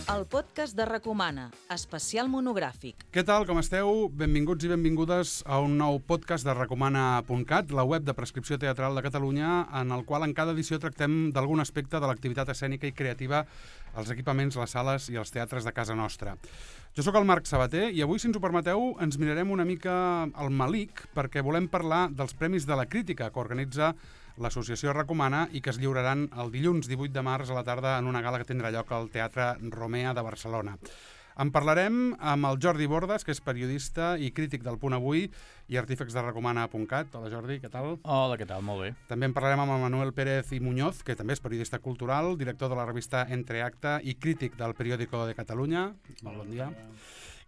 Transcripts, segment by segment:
el podcast de Recomana, especial monogràfic. Què tal, com esteu? Benvinguts i benvingudes a un nou podcast de Recomana.cat, la web de prescripció teatral de Catalunya, en el qual en cada edició tractem d'algun aspecte de l'activitat escènica i creativa als equipaments, les sales i els teatres de casa nostra. Jo sóc el Marc Sabater i avui, si ens ho permeteu, ens mirarem una mica al malic perquè volem parlar dels Premis de la Crítica que organitza l'associació Recomana i que es lliuraran el dilluns 18 de març a la tarda en una gala que tindrà lloc al Teatre Romea de Barcelona. En parlarem amb el Jordi Bordas, que és periodista i crític del Punt Avui i artífex de Recomana.cat. Hola Jordi, què tal? Hola, què tal? Molt bé. També en parlarem amb el Manuel Pérez i Muñoz, que també és periodista cultural, director de la revista Entreacte i crític del Periódico de Catalunya. Molt bon dia.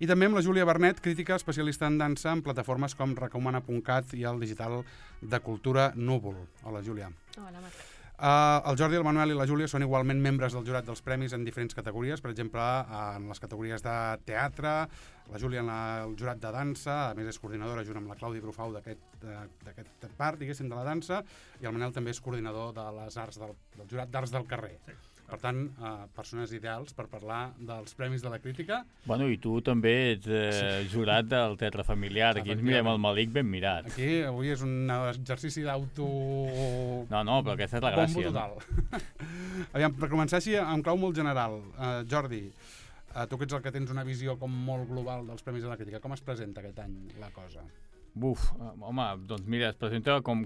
I també amb la Júlia Bernet, crítica especialista en dansa en plataformes com Recomana.cat i el digital de Cultura Núvol. Hola, Júlia. Hola, Marc. El Jordi, el Manuel i la Júlia són igualment membres del jurat dels premis en diferents categories, per exemple, en les categories de teatre, la Júlia en el jurat de dansa, a més és coordinadora junt amb la Clàudia Brufau d'aquest part, diguéssim, de la dansa, i el Manel també és coordinador de les arts del jurat d'arts del carrer. Sí. Per tant, persones ideals per parlar dels Premis de la Crítica. Bueno, i tu també ets jurat del Teatre Familiar. Aquí ens mirem el malic ben mirat. Aquí avui és un exercici d'auto... No, però aquesta és la gràcia. Bombo total. Aviam, per començar així, en clau molt general, Jordi, tu que ets el que tens una visió com molt global dels Premis de la Crítica, com es presenta aquest any la cosa? Home, doncs mira, es presenta com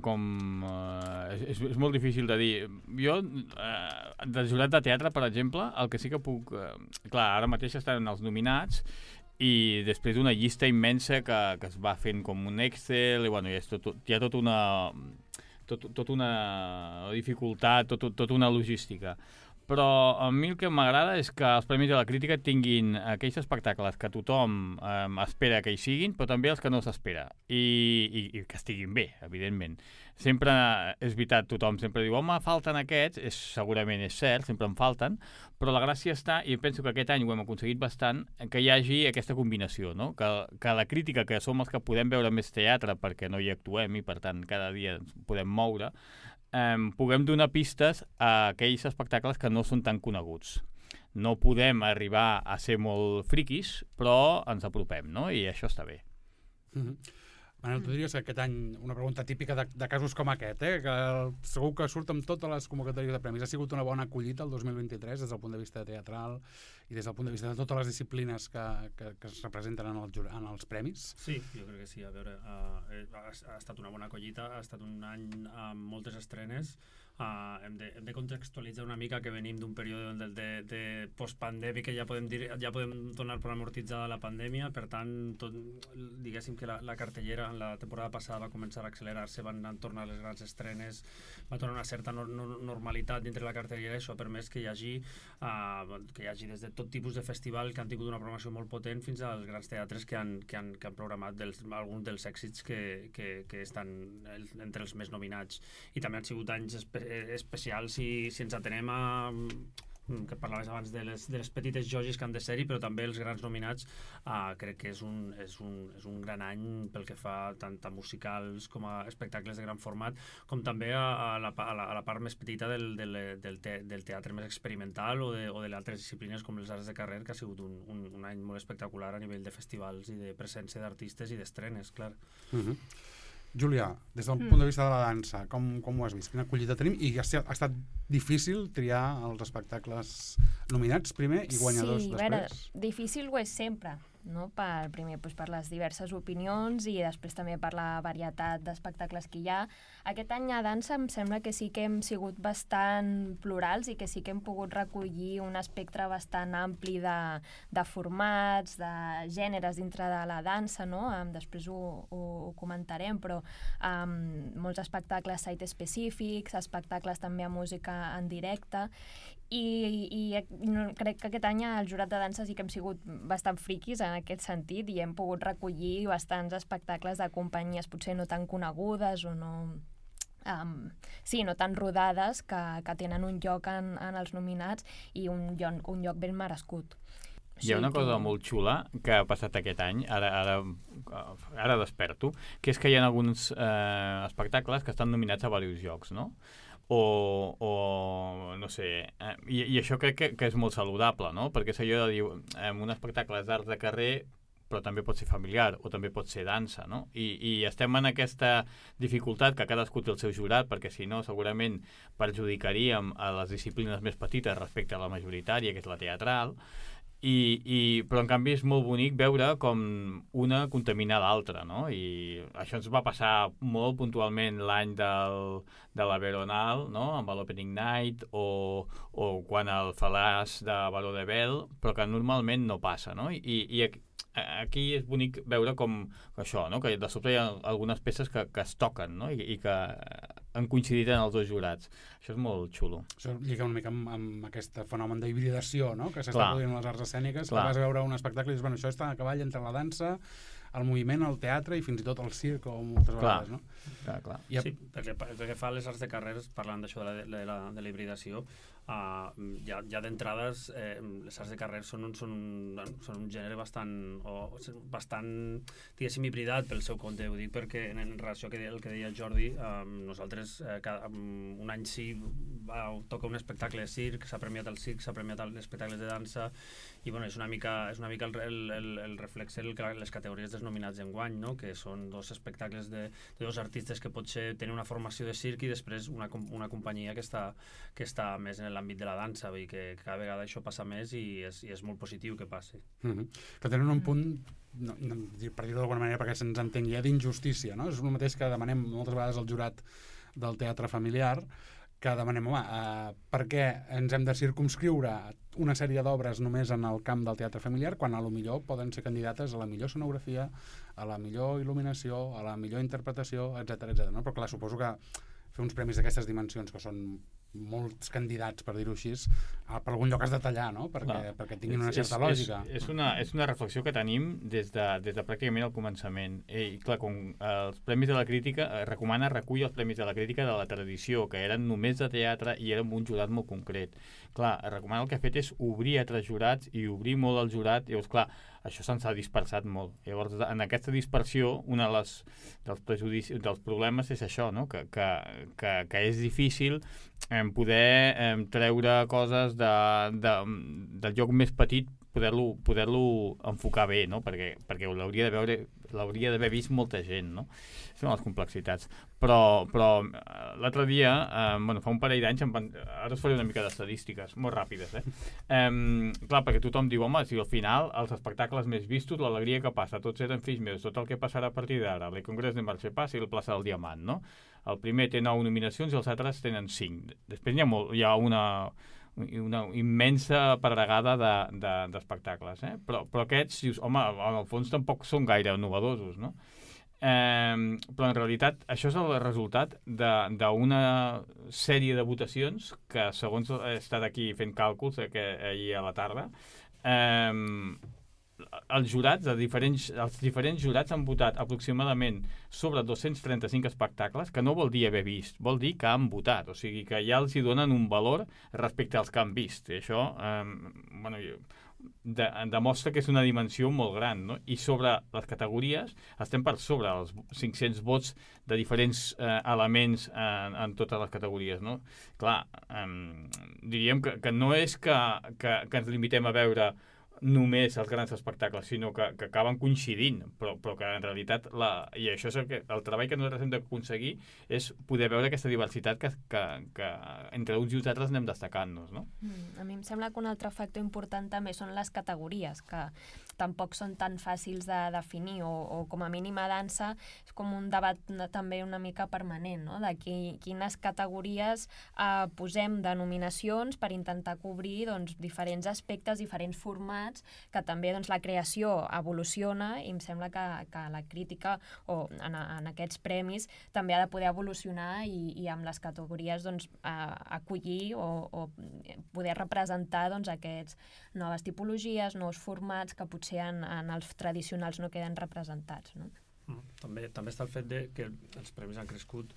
és molt difícil de dir. Jo, del jurat de teatre, per exemple, el que sí que puc... clar, ara mateix estan els nominats i després d'una llista immensa que es va fent com un Excel i bueno, hi ha tota una dificultat, tota una logística. Però a mi el que m'agrada és que els Premis de la Crítica tinguin aquells espectacles que tothom espera que hi siguin, però també els que no s'espera, i que estiguin bé, evidentment. Sempre és veritat, tothom sempre diu, home, falten aquests, segurament és cert, sempre en falten, però la gràcia està, i penso que aquest any ho hem aconseguit bastant, que hi hagi aquesta combinació, no? Que la crítica, que som els que podem veure més teatre perquè no hi actuem i per tant cada dia ens podem moure, puguem donar pistes a aquells espectacles que no són tan coneguts. No podem arribar a ser molt friquis, però ens apropem, no? I això està bé. Manel, tu diries que aquest any, una pregunta típica de casos com aquest, que segur que surt amb totes les convocatòries de premis, ha sigut una bona acollida el 2023 des del punt de vista teatral i des del punt de vista de totes les disciplines que es representen en els premis? Sí, jo crec que sí. A veure, ha estat una bona acollida, ha estat un any amb moltes estrenes. Hem de contextualitzar una mica que venim d'un període de postpandèmic que ja podem donar per amortitzada la pandèmia, per tant, diguéssim que la cartellera en la temporada passada va començar a accelerar-se, van tornar les grans estrenes, va tornar una certa normalitat dintre la cartellera, i això ha permès que hi hagi des de tot tipus de festival que han tingut una programació molt potent fins als grans teatres que han programat alguns dels èxits que estan entre els més nominats. I també han sigut anys especials si ens atenem a que parlaves abans de les petites joies que han de ser-hi, però també els grans nominats. Crec que és un gran any pel que fa tant a musicals com a espectacles de gran format, com també a la part més petita del teatre més experimental o de les altres disciplines com les arts de carrer, que ha sigut un any molt espectacular a nivell de festivals i de presència d'artistes i d'estrenes, clar. Júlia, des del punt de vista de la dansa, com ho has vist? Quina acollida tenim? I ha estat difícil triar els espectacles nominats primer i guanyadors després? Sí, a veure, difícil ho és sempre, no? Primer per les diverses opinions i després també per la varietat d'espectacles que hi ha. Aquest any a dansa em sembla que sí que hem sigut bastant plurals i que sí que hem pogut recollir un espectre bastant ampli de formats, de gèneres dintre de la dansa, no? Després ho comentarem, però molts espectacles site específics, espectacles també a música en directe, i crec que aquest any al jurat de dansa sí que hem sigut bastant friquis en aquest sentit i hem pogut recollir bastants espectacles de companyies potser no tan conegudes o no tan rodades que tenen un lloc en els nominats i un lloc ben merescut. Hi ha una cosa molt xula que ha passat aquest any, ara desperto, que és que hi ha alguns espectacles que estan nominats a diversos jocs, no? o no sé, i això crec que és molt saludable, no? Perquè és allò de dir, un espectacle és d'art de carrer, però també pot ser familiar o també pot ser dansa, no? I estem en aquesta dificultat que cadascú té el seu jurat, perquè si no segurament perjudicaríem a les disciplines més petites respecte a la majoritària, que és la teatral, però en canvi és molt bonic veure com una contamina l'altra, no? I això ens va passar molt puntualment l'any de la Veronal, no? Amb l'Opening Night o quan el Fal·làs de Baró de Bel, però que normalment no passa, no? I aquí és bonic veure com això, no? Que de sobte hi ha algunes peces que es toquen, no? I que han coincidit en els dos jurats. Això és molt xulo. Això lliga una mica amb aquest fenomen d'hibridació, no? Que s'està produint en les arts escèniques, que vas a veure un espectacle i dius, bueno, això està a cavall entre la dansa, el moviment, el teatre i fins i tot el circ o moltes vegades, no? Clar. Sí, perquè pel que fa a les arts de carrers, parlant d'això de la hibridació, ja d'entrades les arts de carrers són un gènere bastant diguéssim hibridat pel seu compte. Ho dic perquè en relació al que deia Jordi, nosaltres un any sí toca un espectacle de circ, s'ha premiat el circ, s'ha premiat els espectacles de dansa, i bueno, és una mica el reflex les categories dels nominats d'enguany, no? Que són dos espectacles de dos artistes que potser tenen una formació de circ i després una companyia que està més en l'àmbit de la dansa, vull dir que cada vegada això passa més i és molt positiu que passi. Que tenen un punt, per dir-ho d'alguna manera perquè se'ns entengui, d'injustícia, no? És el mateix que demanem moltes vegades al jurat del teatre familiar, que demanem, per què ens hem de circumscriure una sèrie d'obres només en el camp del teatre familiar quan a lo millor poden ser candidates a la millor escenografia, a la millor il·luminació, a la millor interpretació, etc. No? Però clar, suposo que fer uns premis d'aquestes dimensions, que són molts candidats, per dir-ho així, per algun lloc has de tallar, no? Perquè tinguin una certa lògica. És una reflexió que tenim des de pràcticament el començament. I clar, com els Premis de la Crítica, recull els Premis de la Crítica de la tradició, que eren només de teatre i eren un jurat molt concret. Clar, recomana el que ha fet és obrir altres jurats i obrir molt el jurat, i llavors, clar, això se'ns ha dispersat molt. Llavors, en aquesta dispersió, un dels problemes és això, no? Que és difícil poder treure coses del lloc més petit, poder-lo enfocar bé, no? Perquè l'hauria d'haver vist molta gent, no? Són les complexitats. Però l'altre dia, fa un parell d'anys, ara us faré una mica d'estadístiques, molt ràpides, clar, perquè tothom diu, home, si al final els espectacles més vistos, l'alegria que passa, tots eren fills meus, tot el que passarà a partir d'ara, el Congrés de Marxepàs i el Plaça del Diamant, no? El primer té 9 nominacions i els altres tenen 5. Després hi ha una immensa pedregada d'espectacles, però aquests, dius, home, en el fons tampoc són gaire novedosos, no? Però en realitat això és el resultat d'una sèrie de votacions que, segons he estat aquí fent càlculs ahir a la tarda, els diferents jurats han votat aproximadament sobre 235 espectacles, que no vol dir haver vist, vol dir que han votat, o sigui que ja els hi donen un valor respecte als que han vist. I això demostra que és una dimensió molt gran, no? I sobre les categories estem per sobre els 500 vots de diferents elements en totes les categories, no? Clar, diríem que no és que ens limitem a veure només els grans espectacles, sinó que acaben coincidint, però que en realitat i això és el treball que nosaltres hem d'aconseguir, és poder veure aquesta diversitat que entre uns i uns altres anem destacant-nos, no? A mi em sembla que un altre factor important també són les categories, que tampoc són tan fàcils de definir, o com a mínim a dansa és com un debat també una mica permanent, no? De quines categories posem de nominacions per intentar cobrir diferents aspectes, diferents formats, que també la creació evoluciona, i em sembla que la crítica o en aquests premis també ha de poder evolucionar i amb les categories acollir o poder representar aquestes noves tipologies, nous formats que potser en els tradicionals no queden representats, no? També està el fet que els premis han crescut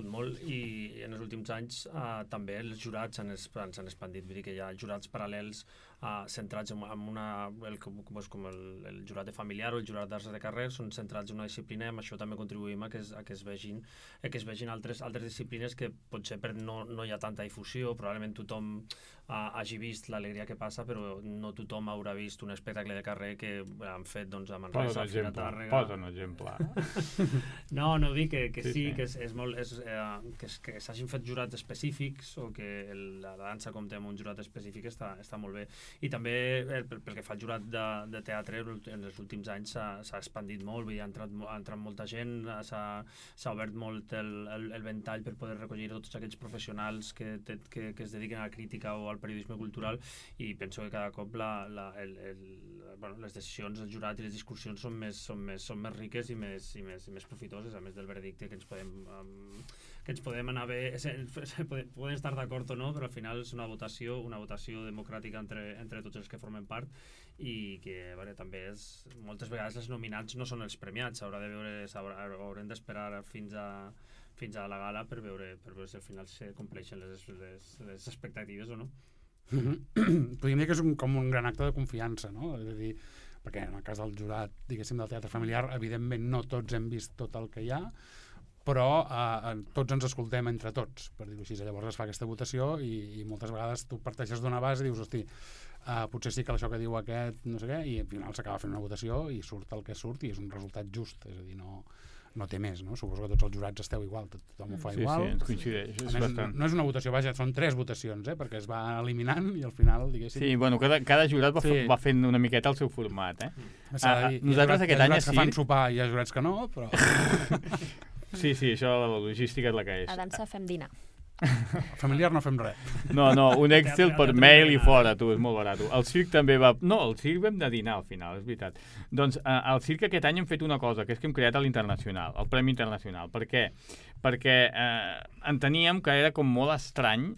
molt, i en els últims anys també els jurats s'han expandit, vull dir que hi ha jurats paral·lels centrats en com el jurat de familiar o el jurat d'arts de carrer, són centrats en una disciplina i amb això també contribuïm a que es vegin altres disciplines que potser no hi ha tanta difusió, probablement tothom hagi vist l'alegria que passa, però no tothom haurà vist un espectacle de carrer que han fet a Manresa, a Tàrrega. Posa un exemple. No dic que sí, que és molt que s'hagin fet jurats específics o que la dansa compta amb un jurat específic està molt bé. I també pel que fa al jurat de teatre, en els últims anys s'ha expandit molt, ha entrat molta gent, s'ha obert molt el ventall per poder recollir tots aquells professionals que es dediquen a la crítica o al periodisme cultural, i penso que cada cop les decisions del jurat i les discussions són més riques i més profitoses, a més del veredicte que ens podem anar bé, podem estar d'acord o no, però al final és una votació democràtica entre tots els que formen part, i que també moltes vegades els nominats no són els premiats, haurem d'esperar fins a la gala per veure si al final se compleixen les expectatives o no. Podríem dir que és com un gran acte de confiança, no? És a dir, perquè en el cas del jurat, diguéssim, del teatre familiar, evidentment no tots hem vist tot el que hi ha, però tots ens escoltem entre tots, per dir-ho així. Llavors es fa aquesta votació i moltes vegades tu parteixes d'una base i dius, hosti, potser sí que això que diu aquest, no sé què, i al final s'acaba fent una votació i surt el que surt i és un resultat just, és a dir, no té més, no? Suposo que tots els jurats esteu igual, tothom ho fa igual. Sí, ens coincideix. No és una votació, vaja, són 3 votacions, perquè es va eliminant i al final, diguéssim... Sí, bueno, cada jurat va fent una miqueta el seu format, Nosaltres aquest any... Hi ha jurats que fan sopar i hi ha jurats que no, però... Sí, això, la logística és la que és. A dansa fem dinar. Familiar no fem res. No, un Excel per mail i fora, tu, és molt barat. El circ també va... No, el circ vam de dinar al final, és veritat. Doncs al circ aquest any hem fet una cosa, que és que hem creat l'Internacional, el Premi Internacional. Per què? Perquè enteníem que era com molt estrany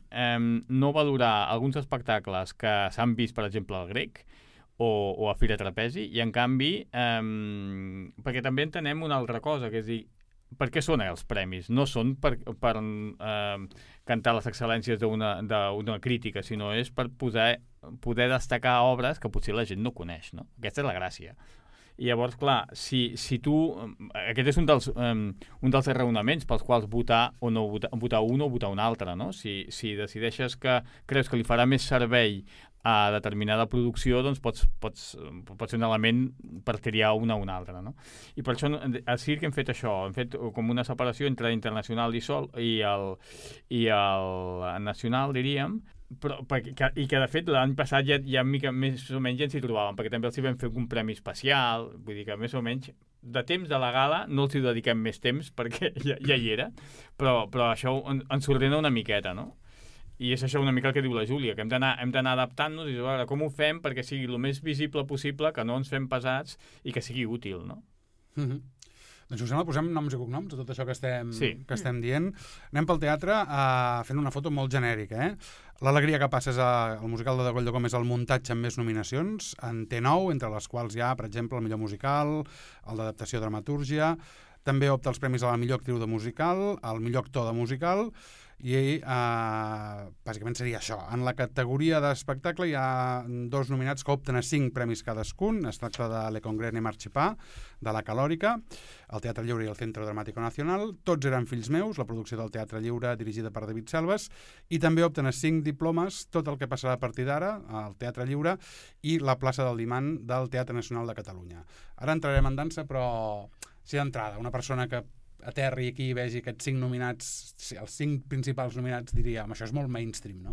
no valorar alguns espectacles que s'han vist, per exemple, al Grec, o a Fira Trapezi, i en canvi, perquè també entenem una altra cosa, que és dir, per què són els premis? No són per cantar les excel·lències d'una crítica, sinó és per poder destacar obres que potser la gent no coneix, no? Aquesta és la gràcia. I llavors, clar, si tu... Aquest és un dels raonaments pels quals votar un o votar un altre, no? Si decideixes que creus que li farà més servei a determinada producció, doncs pot ser un element per triar una o una altra, no? I per això al circ hem fet això, hem fet com una separació entre internacional i el nacional, diríem, i que de fet l'any passat ja més o menys ja ens hi trobàvem, perquè també els hi vam fer un premi especial, vull dir que més o menys de temps de la gala no els hi dediquem més temps perquè ja hi era, però això ens ordena una miqueta, no? I és això una mica el que diu la Júlia, que hem d'anar adaptant-nos i veure com ho fem perquè sigui el més visible possible, que no ens fem pesats i que sigui útil, no? Doncs si us sembla, posem noms i cognoms a tot això que estem dient. Anem pel teatre fent una foto molt genèrica, L'alegria que passa és el musical de Degoll de Gómez, el muntatge amb més nominacions, en té 9, entre les quals hi ha, per exemple, el millor musical, el d'adaptació dramatúrgia, també opta els premis a la millor actriu de musical, al millor actor de musical, i bàsicament seria això. En la categoria d'espectacle hi ha 2 nominats que opten a 5 premis cadascun. Es tracta de Le Congrès et Marchipà, de la Calòrica, el Teatre Lliure i el Centro Dramàtico Nacional. Tots eren fills meus, la producció del Teatre Lliure dirigida per David Selves, i també opten a 5 diplomes Tot el que passarà a partir d'ara, al Teatre Lliure, i la plaça del Diman del Teatre Nacional de Catalunya. Ara entrarem en dansa, però si d'entrada una persona que aterri aquí i vegi aquests 5 nominats, els 5 principals nominats, diria, això és molt mainstream, no?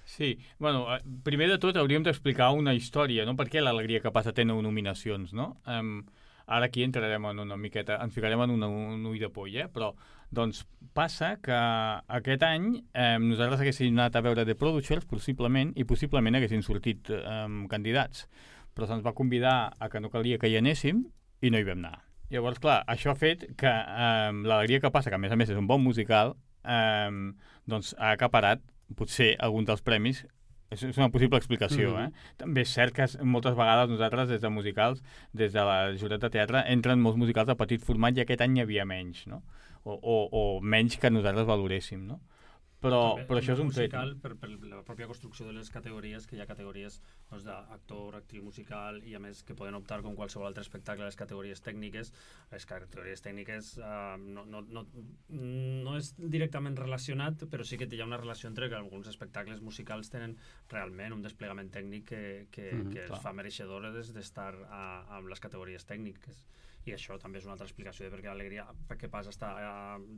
Sí, bueno, primer de tot hauríem d'explicar una història, no? Per què l'Alegria que passa té 9 nominacions, no? Ara aquí entrarem en una miqueta, ens ficarem en un ull de poll, però doncs passa que aquest any nosaltres haguéssim anat a veure The Producers, possiblement, i possiblement haguessin sortit candidats, però se'ns va convidar a que no calia que hi anéssim i no hi vam anar. Llavors, clar, això ha fet que l'Alegria que passa, que a més és un bon musical, doncs ha acaparat potser algun dels premis. És una possible explicació, També és cert que moltes vegades nosaltres, des de musicals, des de la jurat de teatre, entren molts musicals de petit format i aquest any hi havia menys, no? O menys que nosaltres valoréssim, no? però També, això és un fet. musical, per la pròpia construcció de les categories, que hi ha categories doncs, d'actor, actriu musical, i a més que poden optar com qualsevol altre espectacle a les categories tècniques. Les categories tècniques no és directament relacionat, però sí que hi ha una relació entre que alguns espectacles musicals tenen realment un desplegament tècnic que els fa mereixedores d'estar amb les categories tècniques. I això també és una altra explicació de per què l'Alegria, perquè Pas està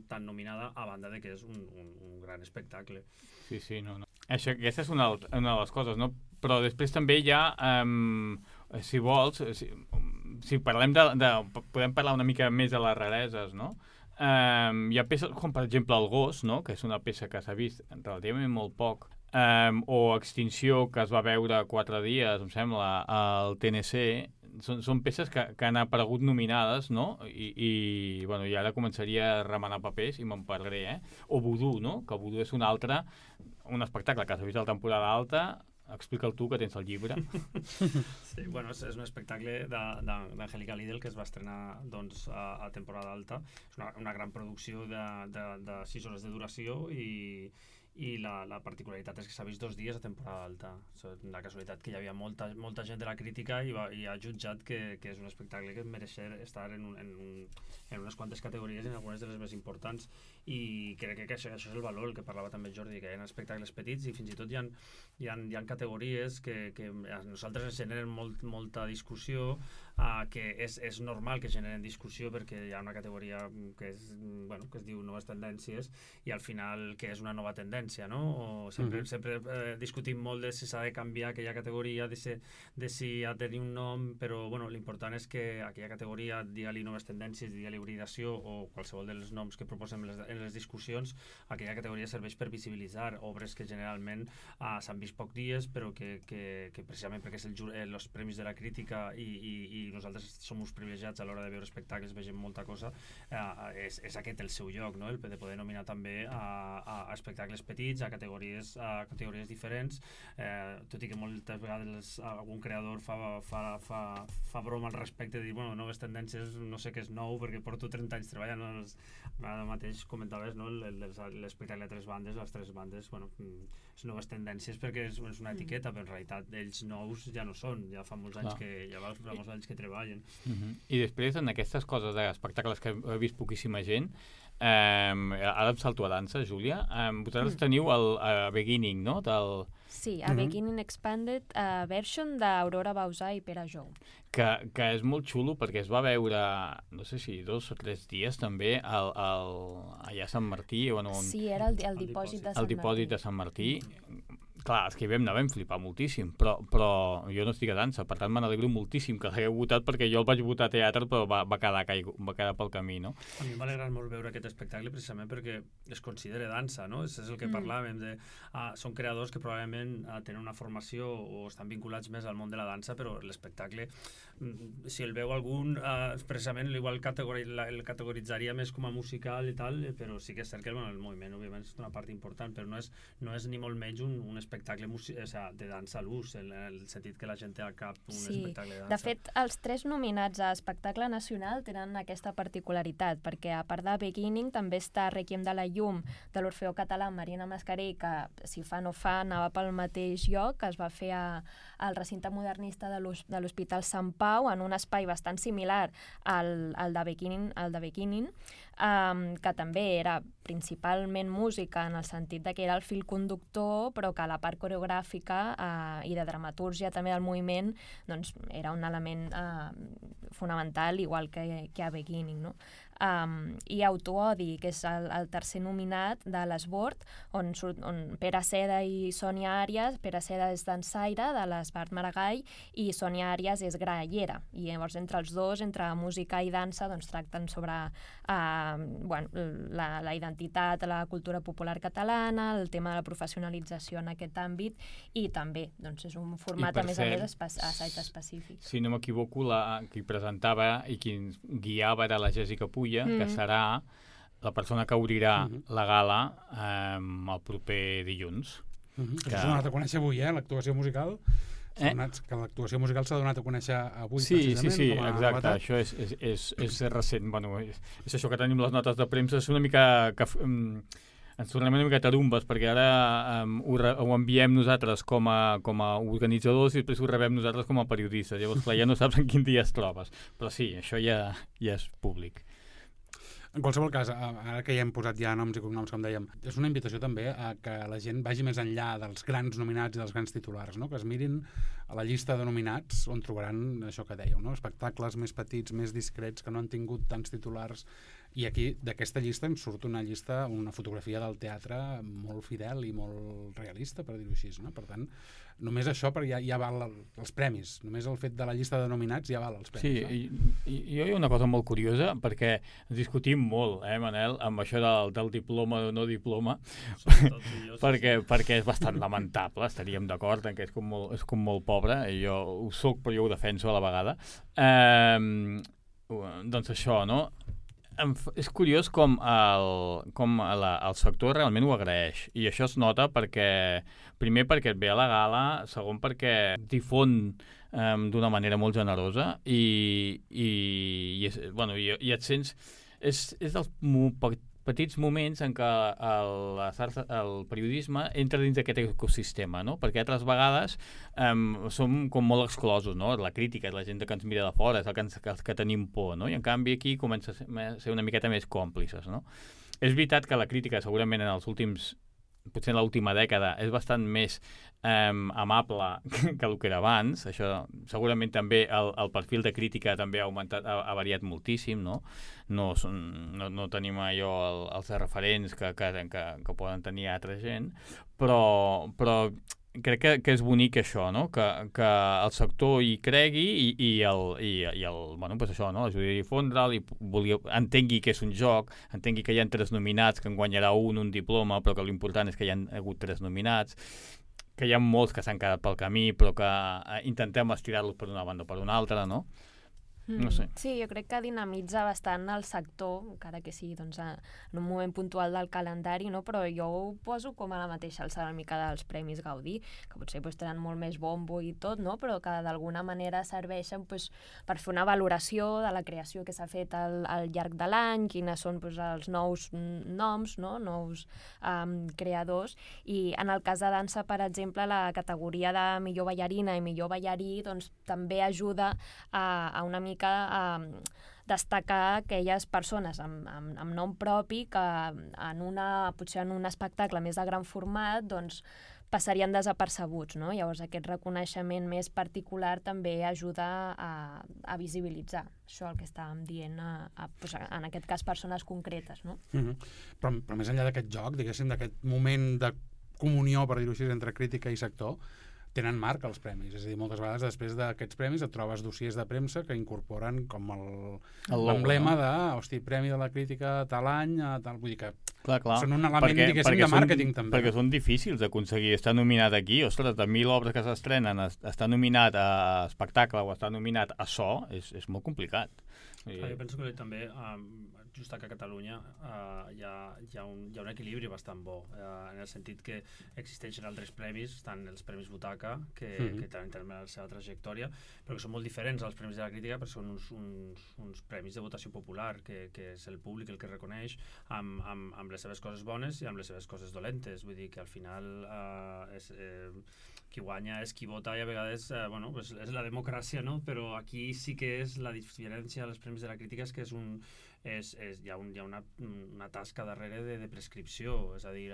tan nominada, a banda de que és un gran espectacle. Sí, no. Aquesta és una de les coses, no? Però després també hi ha, si vols, si parlem podem parlar una mica més de les rareses, no? Hi ha peces com, per exemple, El gos, no? Que és una peça que s'ha vist relativament molt poc, o Extinció, que es va veure 4 dies, em sembla, al TNC. Són peces que han aparegut nominades, no? I ara començaria a remenar papers i me'n perdré, O Vudú, no? Que Vudú és un espectacle que s'ha vist a la temporada alta. Explica'l tu, que tens el llibre. Sí, és un espectacle d'Angélica Lidl que es va estrenar doncs, a temporada alta. És una gran producció de 6 hores de duració i la particularitat és que s'ha vist 2 dies a temporada alta. La casualitat que hi havia molta gent de la crítica i ha jutjat que és un espectacle que mereix estar en unes quantes categories, en algunes de les més importants, i crec que això és el valor, el que parlava també Jordi, que hi ha espectacles petits i fins i tot hi ha categories que a nosaltres ens generen molta discussió, que és normal que generen discussió perquè hi ha una categoria que es diu Noves Tendències, i al final que és una nova tendència, no? Sempre discutim molt de si s'ha de canviar aquella categoria, de si ha de tenir un nom, però l'important és que aquella categoria, digue-li Noves Tendències, digue-li Hibridació o qualsevol dels noms que proposem en les discussions, aquella categoria serveix per visibilitzar obres que generalment s'han vist poc dies, però que precisament perquè és els premis de la crítica i nosaltres som uns privilegiats a l'hora de veure espectacles, vegem molta cosa, és aquest el seu lloc, no? El de poder nominar també a espectacles petits, a categories diferents, tot i que moltes vegades algun creador fa broma al respecte de dir, Noves Tendències no sé què és nou perquè porto 30 anys treballant, ara mateix comentaves, no? L'espectacle de 3 bandes, les 3 bandes, és Noves Tendències perquè és una etiqueta, però en realitat ells nous ja no són, ja fa molts anys que treballen. I després, en aquestes coses d'espectacles que he vist poquíssima gent, ara em salto a dansa, Júlia, vosaltres teniu el Beginning, no? Sí, a Beginning Expanded Version d'Aurora Bauzà i Pere Jou. Que és molt xulo perquè es va veure, no sé si 2 o 3 dies també, allà a Sant Martí. Sí, era el dipòsit de Sant Martí. El dipòsit de Sant Martí. Clar, els que hi vam anar vam flipar moltíssim, però jo no estic a dansa, per tant m'alegro moltíssim que l'hagueu votat, perquè jo el vaig votar a teatre però va quedar pel camí, no? A mi m'ha agradat molt veure aquest espectacle precisament perquè es considera dansa, no? És el que parlàvem de... Són creadors que probablement tenen una formació o estan vinculats més al món de la dansa, però l'espectacle, si el veu algun, precisament igual el categoritzaria més com a musical i tal, però sí que és cert que el moviment òbviament és una part important, però no és ni molt menys un espectacle de dansa a l'ús, en el sentit que la gent té al cap un espectacle de dansa. De fet, els 3 nominats a espectacle nacional tenen aquesta particularitat, perquè a part de Beginning també està Requiem de la Llum de l'Orfeó Català Marina Mascarell, que si fa no fa anava pel mateix lloc, que es va fer al recinte modernista de l'Hospital Sant Pau, en un espai bastant similar al de Beginning, que també era principalment música en el sentit de que era el fil conductor, però que la part coreogràfica i de dramatúrgia també del moviment doncs, era un element fonamental, igual que a Beginning, no? I Autoodi, que és el tercer nominat de l'Esbord, on Pere Seda i Sònia Àries. Pere Seda és dansaire de l'Esbart Maragall i Sònia Àries és grallera, i llavors entre els dos, entre música i dansa, doncs tracten sobre la identitat, la cultura popular catalana, el tema de la professionalització en aquest àmbit, i també doncs, és un format a més assaig específic. Si no m'equivoco, qui presentava i qui guiava era la Jessica Puya, que serà la persona que obrirà la gala el proper dilluns. Que s'ha donat a conèixer avui, l'actuació musical. Que l'actuació musical s'ha donat a conèixer avui, precisament. Sí, exacte. Això és recent. És això que tenim les notes de premsa. És una mica ens tornem una mica tarumbes, perquè ara ho enviem nosaltres com a organitzadors i després ho rebem nosaltres com a periodistes. Llavors, clar, ja no saps en quin dia es trobes. Però sí, això ja és públic. En qualsevol cas, ara que ja hem posat ja noms i cognoms, com dèiem, és una invitació també a que la gent vagi més enllà dels grans nominats i dels grans titulars, no? Que es mirin a la llista de nominats on trobaran això que dèieu, no? Espectacles més petits, més discrets, que no han tingut tants titulars. I aquí, d'aquesta llista, en surt una llista, una fotografia del teatre molt fidel i molt realista, per dir-ho així, no? Per tant, només això ja val els premis. Només el fet de la llista de nominats ja val els premis. Sí, jo hi ha una cosa molt curiosa, perquè discutim molt, Manel, amb això del diploma o no diploma, perquè és bastant lamentable, estaríem d'acord en que és com molt pobre, i jo ho soc però jo ho defenso a la vegada. Doncs això, no? És curiós com el sector realment ho agraeix, i això es nota primer perquè et ve a la gala, segon perquè difon d'una manera molt generosa i et sents és dels petits moments en què el periodisme entra dins d'aquest ecosistema, no? Perquè altres vegades som com molt exclosos, no? La crítica, la gent que ens mira de fora, és els que tenim por, no? I en canvi aquí comença a ser una miqueta més còmplices, no? És veritat que la crítica segurament potser en l'última dècada és bastant més amable que el que era abans. Això segurament també el perfil de crítica també ha augmentat, ha variat moltíssim, no? No tenim allò els referents que poden tenir altra gent, però crec que és bonic això, no? Que el sector hi cregui pues això, no? Ajudi a difondre'l i entengui que és un joc, entengui que hi ha 3 nominats, que en guanyarà un diploma, però que l'important és que hi ha hagut 3 nominats, que hi ha molts que s'han quedat pel camí, però que intentem estirar-los per una banda o per una altra, no? No sé. Sí, jo crec que dinamitza bastant el sector, encara que sigui en un moment puntual del calendari, no? Però jo ho poso com a la mateixa alçada una mica dels Premis Gaudí, que potser tenen molt més bombo i tot, no? Però que d'alguna manera serveixen per fer una valoració de la creació que s'ha fet al llarg de l'any, quines són els nous noms, no? Nous creadors, i en el cas de dansa, per exemple, la categoria de millor ballarina i millor ballarí també ajuda a una mica a destacar aquelles persones amb nom propi que potser en un espectacle més de gran format passarien desapercebuts, no? Llavors aquest reconeixement més particular també ajuda a visibilitzar això, el que estàvem dient, en aquest cas persones concretes, no? Però més enllà d'aquest joc, diguéssim, d'aquest moment de comunió, per dir-ho així, entre crítica i sector, tenen marca els premis. És a dir, moltes vegades després d'aquests premis et trobes dossiers de premsa que incorporen com l'emblema de, premi de la crítica tal any, tal... Vull dir que són un element, diguéssim, de màrqueting també. Perquè són difícils d'aconseguir. Estar nominat aquí, ostres, de 1.000 obres que s'estrenen, estar nominat a espectacle o estar nominat a so, és molt complicat. Jo penso que també, just que a Catalunya hi ha un equilibri bastant bo, en el sentit que existeixen altres premis, tant els Premis Butaca, que tenen la seva trajectòria, però que són molt diferents als Premis de la Crítica, perquè són uns premis de votació popular, que és el públic el que reconeix amb les seves coses bones i amb les seves coses dolentes. Vull dir que al final qui guanya és qui vota, i a vegades és la democràcia, no? Però aquí sí que és la diferència als Premis de la Crítica, és que hi ha una tasca darrere de prescripció. És a dir,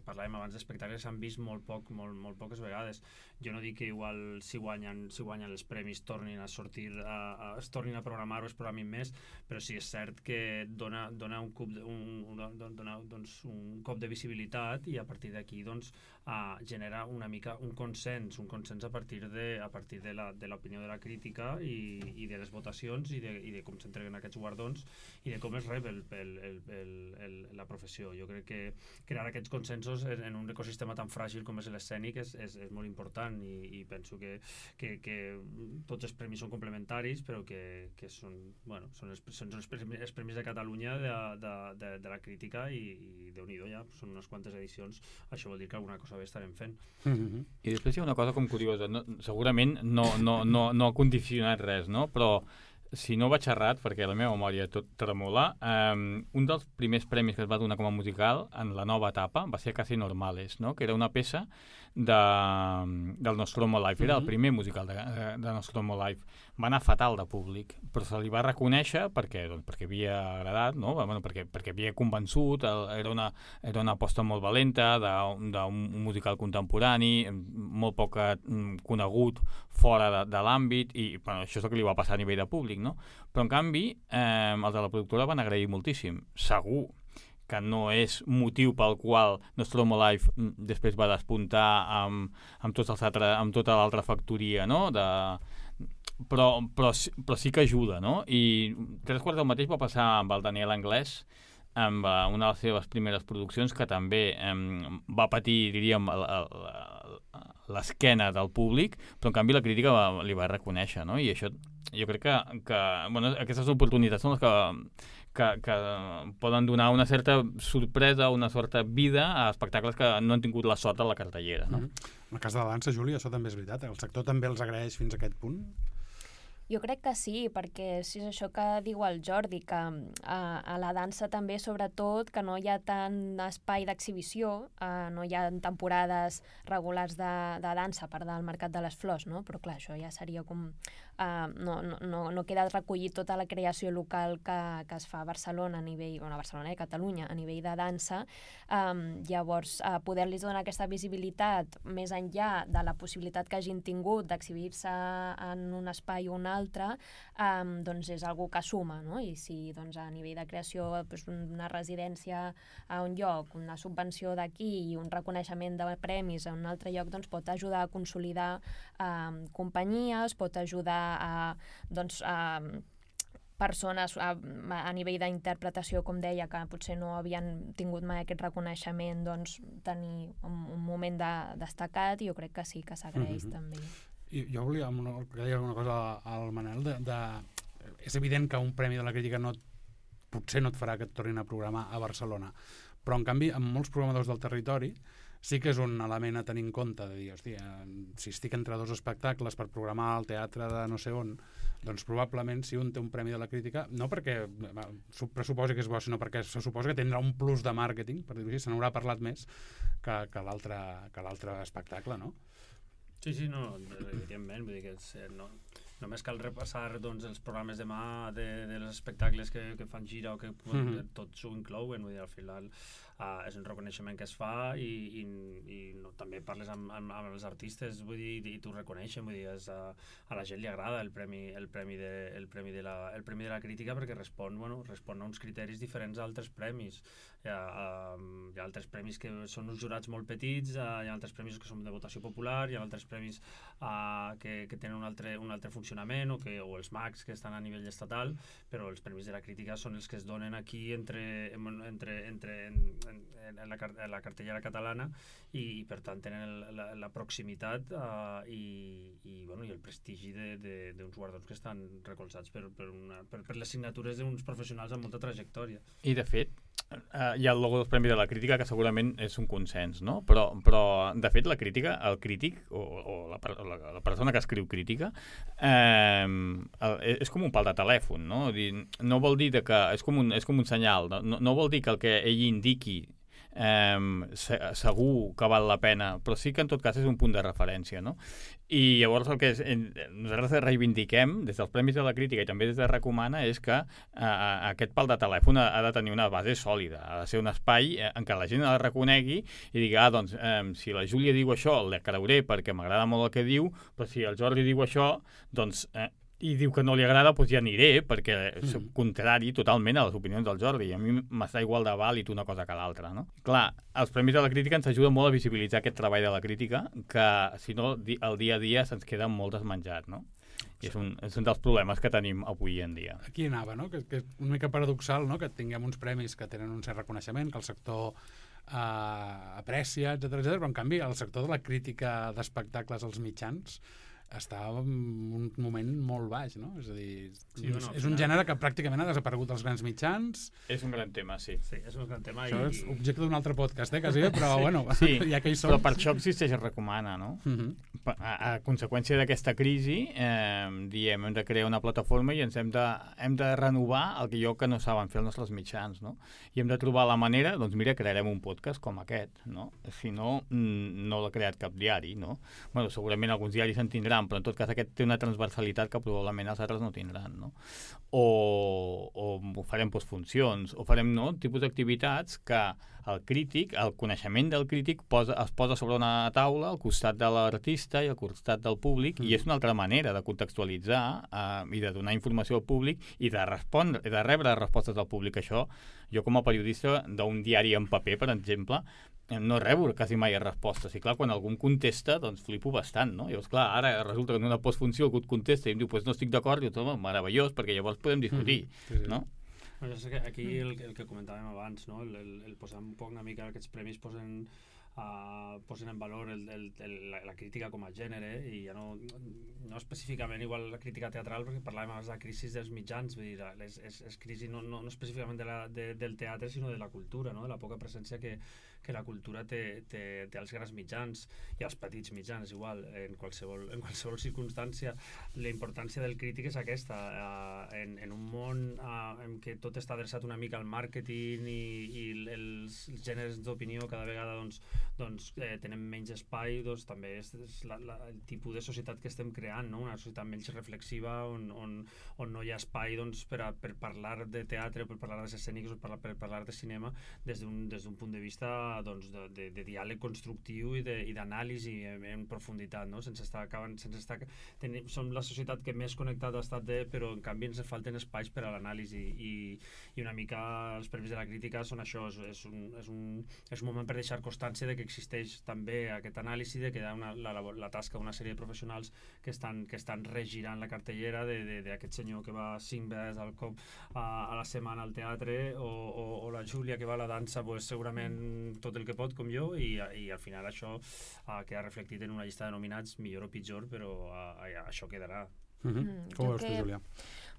parlàvem abans d'espectacles que s'han vist molt poques vegades. Jo no dic que igual si guanyen els premis tornin a sortir, es tornin a programar o es programin més, però sí és cert que dona un cop de visibilitat, i a partir d'aquí genera una mica un consens a partir de l'opinió de la crítica i de les votacions i de com s'entreguen aquests guardons i de com es rep la professió. Jo crec que crear aquests consensos en un ecosistema tan fràgil com és l'escènic és molt important, i penso que tots els premis són complementaris, però que són els premis de Catalunya de la crítica, i Déu-n'hi-do, ja són unes quantes edicions. Això vol dir que alguna cosa bé estarem fent. I després hi ha una cosa com curiosa, segurament no ha condicionat res, no? Però si no vaig errat, perquè la meva memòria tot tremola, un dels primers premis que es va donar com a musical en la nova etapa va ser Casi Normales, no? Que era una peça del Nostromo Live. Era el primer musical de Nostromo Live. Va anar fatal de públic, però se li va reconèixer perquè havia agradat, no? Bueno, perquè havia convençut, era una aposta molt valenta d'un musical contemporani, molt poc conegut fora de l'àmbit, i bueno, això és el que li va passar a nivell de públic, no? Però en canvi, els de la productora van agrair moltíssim. Segur que no és motiu pel qual Nostromo Live després va despuntar amb tota l'altra factoria, no? Però sí que ajuda, no? I 3/4 del mateix va passar amb el Daniel Anglès, amb una de les seves primeres produccions, que també va patir, diríem, l'esquena del públic, però en canvi la crítica li va reconèixer, no? I això, jo crec que bueno, aquestes oportunitats són les que poden donar una certa sorpresa, una certa vida a espectacles que no han tingut la sort a la cartellera, no? En el cas de la dansa, Júlia, això també és veritat. El sector també els agraeix fins a aquest punt? Jo crec que sí, perquè si és això que diu el Jordi, que a la dansa també, sobretot, que no hi ha tant espai d'exhibició, no hi ha temporades regulars de dansa a part del Mercat de les Flors, no? Però clar, això ja seria com... no queda recollit tota la creació local que es fa a Barcelona a nivell, bueno, a Barcelona i Catalunya a nivell de dansa. Llavors, poder-los donar aquesta visibilitat més enllà de la possibilitat que hagin tingut d'exhibir-se en un espai o un altre, doncs és algo que suma, no? I si doncs, a nivell de creació doncs, una residència a un lloc, una subvenció d'aquí i un reconeixement de premis a un altre lloc, doncs pot ajudar a consolidar companyies, pot ajudar a persones a nivell d'interpretació, com deia, que potser no havien tingut mai aquest reconeixement, doncs tenir un moment destacat, i jo crec que sí que s'agraeix també. I jo volia dir alguna cosa al Manel. És evident que un premi de la crítica potser no et farà que et tornin a programar a Barcelona, però en canvi amb molts programadors del territori sí que és un element a tenir en compte, de dir, hòstia, si estic entre dos espectacles per programar al teatre de no sé on, doncs probablement si un té un premi de la crítica, no perquè pressuposi que és bo, sinó perquè se suposa que tindrà un plus de màrqueting, per dir-ho així, se n'haurà parlat més que l'altre espectacle, no? Sí, no, evidentment, vull dir que només cal repassar doncs, els programes demà dels espectacles que fan gira o que tots ho inclouen, vull dir, al final és un reconeixement que es fa i no, també parles amb els artistes, vull dir, i t'ho reconeixen, vull dir, a la gent li agrada el premi de la crítica perquè respon a uns criteris diferents a altres premis. Hi ha altres premis que són uns jurats molt petits, hi ha altres premis que són de votació popular, hi ha altres premis que tenen un altre funcionament, o els MACs que estan a nivell estatal, però els premis de la crítica són els que es donen aquí en la cartellera catalana i per tant tenen la proximitat i el prestigi d'uns guardons que estan recolzats per les signatures d'uns professionals amb molta trajectòria. I de fet, hi ha el logo dels Premis de la Crítica, que segurament és un consens, no? Però de fet, la crítica, el crític, o la persona que escriu crítica, és com un pal de telèfon, no? No vol dir que és com un senyal, no vol dir que el que ell indiqui segur que val la pena, però sí que en tot cas és un punt de referència, no? I llavors el que nosaltres reivindiquem des dels Premis de la Crítica i també des de Recomana és que aquest pal de telèfon ha de tenir una base sòlida, ha de ser un espai en què la gent la reconegui i digui, doncs si la Júlia diu això la creuré perquè m'agrada molt el que diu, però si el Jordi diu això, doncs i diu que no li agrada, doncs ja aniré, perquè és contrari totalment a les opinions del Jordi, i a mi m'està igual de vàlid una cosa que l'altra, no? Clar, els Premis de la Crítica ens ajuden molt a visibilitzar aquest treball de la crítica, que si no, el dia a dia se'ns queda molt desmenjat, no? I és un dels problemes que tenim avui en dia. Aquí anava, no? Que és una mica paradoxal, no? Que tinguem uns premis que tenen un cert reconeixement, que el sector aprecia, etc., però en canvi el sector de la crítica d'espectacles als mitjans està en un moment molt baix, no? És a dir, és un final... gènere que pràcticament ha desaparegut als grans mitjans. És un gran tema, sí. Sí, és un gran tema. Això és objecte d'un altre podcast, quasi, però bueno, sí, ja que hi som... Però per això existeix el Recomana, no? A conseqüència d'aquesta crisi, diem, hem de crear una plataforma i ens hem de renovar el que no saben fer els nostres mitjans, no? I hem de trobar la manera, doncs mira, crearem un podcast com aquest, no? Si no, no l'ha creat cap diari, no? Bueno, segurament alguns diaris en tindran, però en tot cas aquest té una transversalitat que probablement els altres no tindran, no? O farem postfuncions, o farem tipus d'activitats que el crític, el coneixement del crític es posa sobre una taula al costat de l'artista i al costat del públic, i és una altra manera de contextualitzar i de donar informació al públic i de respondre, de rebre respostes del públic. Això, jo com a periodista d'un diari en paper, per exemple, no rebo quasi mai respostes. I clar, quan algú em contesta, doncs flipo bastant, no? Llavors, clar, ara resulta que en una postfunció algú et contesta i em diu, pues no estic d'acord, i dius, meravellós, perquè llavors podem discutir, no? Jo sé que aquí el que comentàvem abans, no? el posar un poc una mica aquests premis posen en valor la crítica com a gènere, i ja no específicament igual la crítica teatral, perquè parlàvem abans de crisi dels mitjans, vull dir, és crisi no específicament del teatre, sinó de la cultura, no? De la poca presència que la cultura té als grans mitjans i als petits mitjans, igual, en qualsevol circumstància. La importància del crític és aquesta, en un món en què tot està adreçat una mica al màrqueting i els gèneres d'opinió cada vegada tenen menys espai, doncs també és el tipus de societat que estem creant, no? Una societat menys reflexiva on no hi ha espai per parlar de teatre, per parlar de escènics o per parlar de cinema des d'un punt de vista de diàleg constructiu i d'anàlisi en profunditat, no? Som la societat que més connectada ha estat, però en canvi ens falten espais per a l'anàlisi, i una mica els premis de la crítica són això, és un moment per deixar constància de que existeix també aquest anàlisi, de que hi ha la tasca d'una sèrie de professionals que estan regirant la cartellera d'aquest senyor que va 5 vegades al cop a la setmana al teatre, o la Júlia que va a la dansa, pues, segurament tot el que pot, com jo, i al final això queda reflectit en una llista de nominats, millor o pitjor, però això quedarà. Com ho veus tu, Júlia?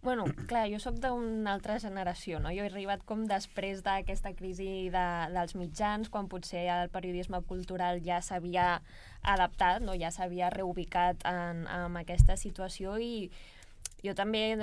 Bueno, clar, jo sóc d'una altra generació, no? Jo he arribat com després d'aquesta crisi dels mitjans, quan potser el periodisme cultural ja s'havia adaptat, no? Ja s'havia reubicat en aquesta situació, i jo també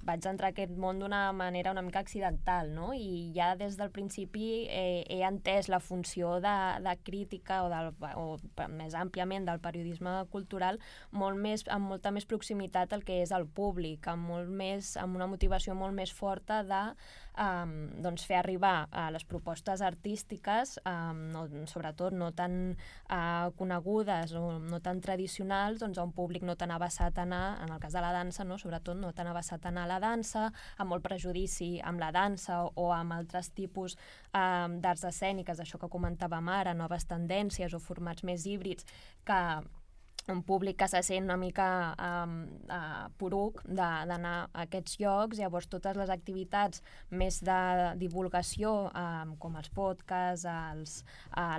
vaig entrar a aquest món d'una manera una mica accidental, no? I ja des del principi he entès la funció de crítica o més àmpliament del periodisme cultural amb molta més proximitat al que és el públic, amb una motivació molt més forta de fer arribar les propostes artístiques, sobretot no tan conegudes o no tan tradicionals, a un públic no tan avessat a anar, en el cas de la dansa, no? Sobretot no tan avessat a anar a la dansa, amb molt prejudici amb la dansa o amb altres tipus d'arts escèniques, això que comentàvem ara, noves tendències o formats més híbrids, que un públic que se sent una mica poruc d'anar a aquests llocs. Llavors totes les activitats més de divulgació, com els podcasts,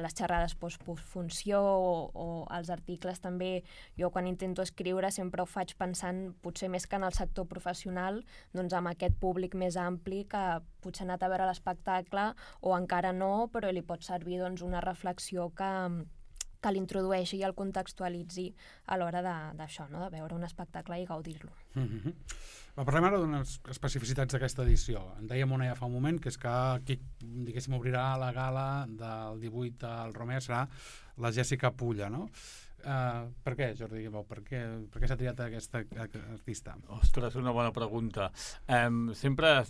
les xerrades postfunció o els articles també, jo quan intento escriure sempre ho faig pensant potser més que en el sector professional, doncs amb aquest públic més ampli que potser ha anat a veure l'espectacle o encara no, però li pot servir una reflexió que l'introdueixi i el contextualitzi a l'hora d'això, no? De veure un espectacle i gaudir-lo. Parlem ara d'unes especificitats d'aquesta edició. En dèiem una ja fa un moment, que és que qui, diguéssim, obrirà la gala del 18 al Romea serà la Jèssica Pulla, no? Per què, Jordi? Per què s'ha triat aquesta artista? Ostres, una bona pregunta. Sempre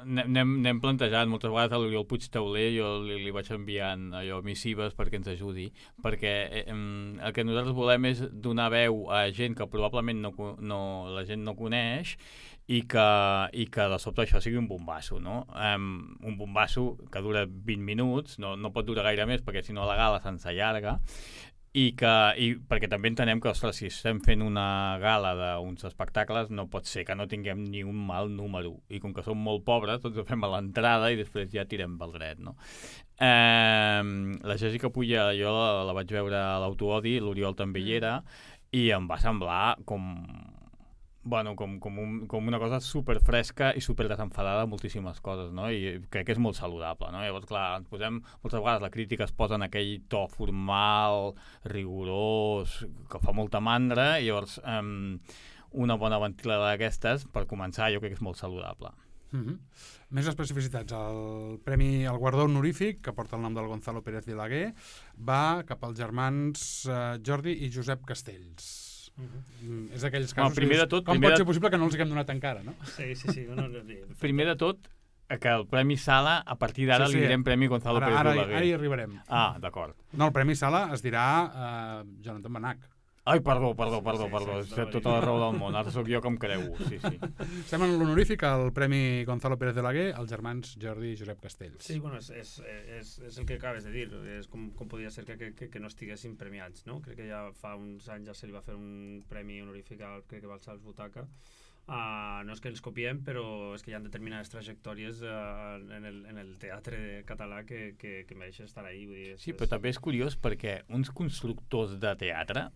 n'hem plantejat moltes vegades a l'Oriol Puigtauler, jo li vaig enviant missives perquè ens ajudi, perquè el que nosaltres volem és donar veu a gent que probablement la gent no coneix, i que de sobte això sigui un bombasso, no? Un bombasso que dura 20 minuts, no pot durar gaire més perquè si no la gala se'ns allarga, i perquè també entenem que, ostres, si estem fent una gala d'uns espectacles no pot ser que no tinguem ni un mal número, i com que som molt pobres doncs ho fem a l'entrada i després ja tirem pel dret, no? La Jèssica Pulla jo la vaig veure a l'Autoodi, l'Oriol també hi era, i em va semblar com una cosa super fresca i super desenfadada de moltíssimes coses, no? I crec que és molt saludable, no? Llavors, clar, ens posem, moltes vegades la crítica es posa en aquell to formal, rigorós, que fa molta mandra, i llavors una bona ventilada d'aquestes, per començar, jo crec que és molt saludable. Més especificitats. El guardó honorífic, que porta el nom del Gonzalo Pérez Vilaguer, va cap als germans Jordi i Josep Castells. És d'aquells casos com pot ser possible que no els haguem donat encara, no? Sí. Primer de tot, que el Premi Sala, a partir d'ara li direm Premi Gonzalo Pérez Vilaguer. Ara hi arribarem. Ah, d'acord. No, el Premi Sala es dirà Jonathan Benach. Ai, perdó. Tota la raó del món. Ara sóc jo que em creu. Sí. Estem en l'honorífic al Premi Gonzalo Pérez Vilaguer als germans Jordi i Josep Castells. Sí, bueno, és el que acabes de dir. És com podria ser que no estiguessin premiats, no? Crec que ja fa uns anys ja se li va fer un premi honorífic crec que va ser als Butaca. No és que els copiem, però és que hi ha determinades trajectòries en el teatre català que mereixen estar ahí. Vull dir, sí, però també és curiós perquè uns constructors de teatre,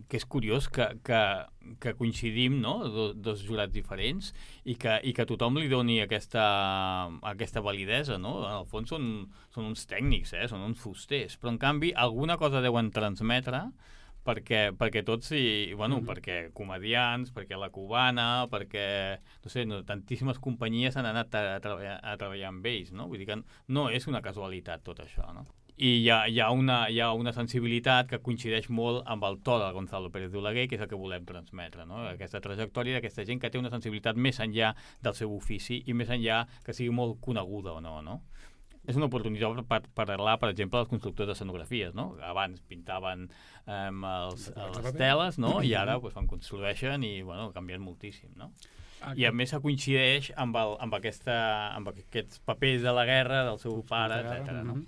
que és curiós que coincidim, no?, dos jurats diferents i que tothom li doni aquesta validesa, no? En el fons són uns tècnics, són uns fusters, però en canvi alguna cosa deuen transmetre perquè tots perquè comedians, perquè la cubana, perquè, no sé, tantíssimes companyies han anat a treballar amb ells, no? Vull dir que no és una casualitat tot això, no? I hi ha una sensibilitat que coincideix molt amb el to de Gonzalo Pérez Vilaguer, que és el que volem transmetre, no? Aquesta trajectòria d'aquesta gent que té una sensibilitat més enllà del seu ofici i més enllà que sigui molt coneguda o no, no? És una oportunitat per parlar, per exemple, dels constructors d'escenografies, no? Abans pintaven les teles, no? I ara van construeixen i ha canviat moltíssim, no? I a més coincideix amb aquests papers de la guerra del seu pare, etc. No?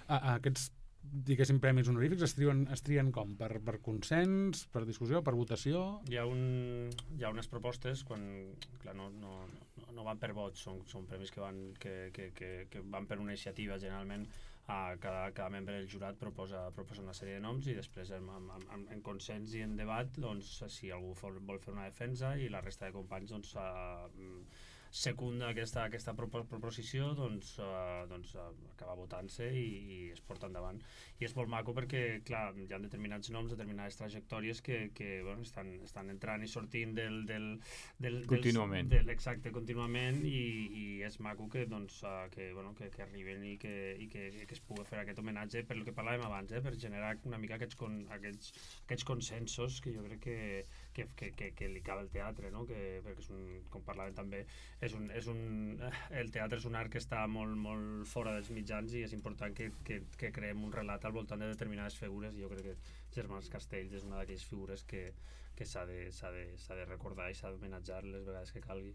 Aquests, diguéssim, premis honorífics es trien com? Per consens, per discussió, per votació? Hi ha unes propostes quan, clar, no van per vots, són premis que van per una iniciativa. Generalment cada membre del jurat proposa una sèrie de noms i després en consens i en debat, doncs, si algú vol fer una defensa i la resta de companys doncs, secunda aquesta proposició, doncs acaba votant-se i es porta endavant. I és molt maco perquè, clar, hi ha determinats noms, determinades trajectòries que estan entrant i sortint contínuament. Exacte, contínuament, i és maco que arriben i que es pugui fer aquest homenatge per el que parlàvem abans, per generar una mica aquests consensos que jo crec que li cal al teatre, no? Perquè com parlàvem també, el teatre és un art que està molt, molt fora dels mitjans i és important que creem un relat al voltant de determinades figures, i jo crec que Germans Castells és una d'aquelles figures que s'ha de recordar i s'ha d'homenatjar les vegades que calgui.